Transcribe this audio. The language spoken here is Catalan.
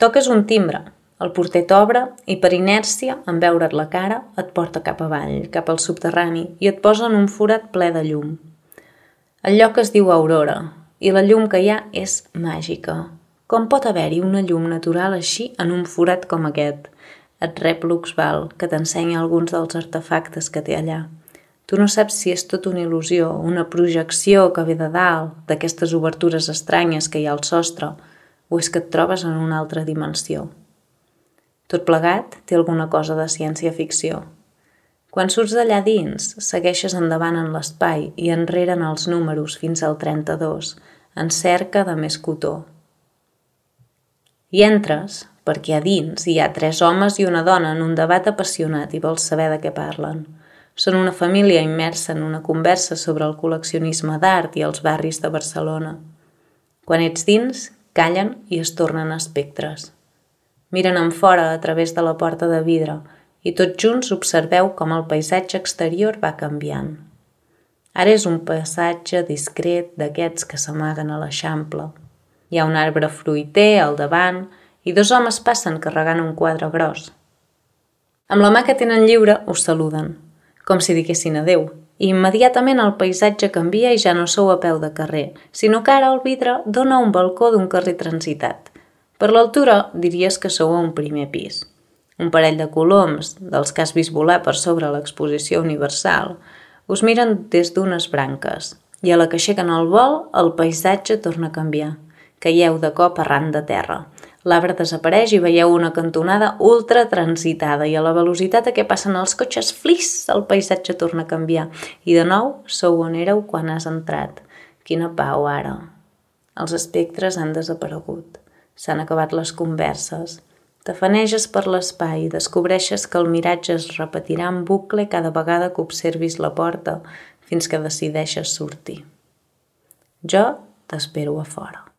Toques un timbre, el porter t'obre i per inèrcia, en veure't la cara, et porta cap avall, cap al subterrani i et posa en un forat ple de llum. El lloc es diu Aurora i la llum que hi ha és màgica. Com pot haver-hi una llum natural així en un forat com aquest? Et rep Luxval, que t'ensenya alguns dels artefactes que té allà. Tu no saps si és tot una il·lusió, una projecció que ve de dalt, d'aquestes obertures estranyes que hi ha al sostre, o és que et trobes en una altra dimensió. Tot plegat té alguna cosa de ciència-ficció. Quan surts d'allà dins, segueixes endavant en l'espai i enrere en els números fins al 32, en cerca de més cotó. I entres, perquè a dins hi ha 3 homes i una dona en un debat apassionat i vols saber de què parlen. Són una família immersa en una conversa sobre el col·leccionisme d'art i els barris de Barcelona. Quan ets dins, callen i es tornen espectres. Miren enfora a través de la porta de vidre i tots junts observeu com el paisatge exterior va canviant. Ara és un passatge discret d'aquests que s'amaguen a l'Eixample. Hi ha un arbre fruiter al davant i 2 homes passen carregant un quadre gros. Amb la mà que tenen lliure us saluden, com si diguessin adeu, i immediatament el paisatge canvia i ja no sou a peu de carrer, sinó que ara el vidre dona un balcó d'un carrer transitat. Per l'altura diries que sou a un primer pis. Un parell de coloms, dels que has vist volar per sobre l'exposició universal, us miren des d'unes branques i a la que aixequen el vol el paisatge torna a canviar. Caieu de cop arran de terra. L'arbre desapareix i veieu una cantonada ultra transitada i a la velocitat a què passen els cotxes, flis, el paisatge torna a canviar. I de nou sou on éreu quan has entrat. Quina pau ara. Els espectres han desaparegut. S'han acabat les converses. T'afaneges per l'espai i descobreixes que el miratge es repetirà en bucle cada vegada que observis la porta fins que decideixes sortir. Jo t'espero a fora.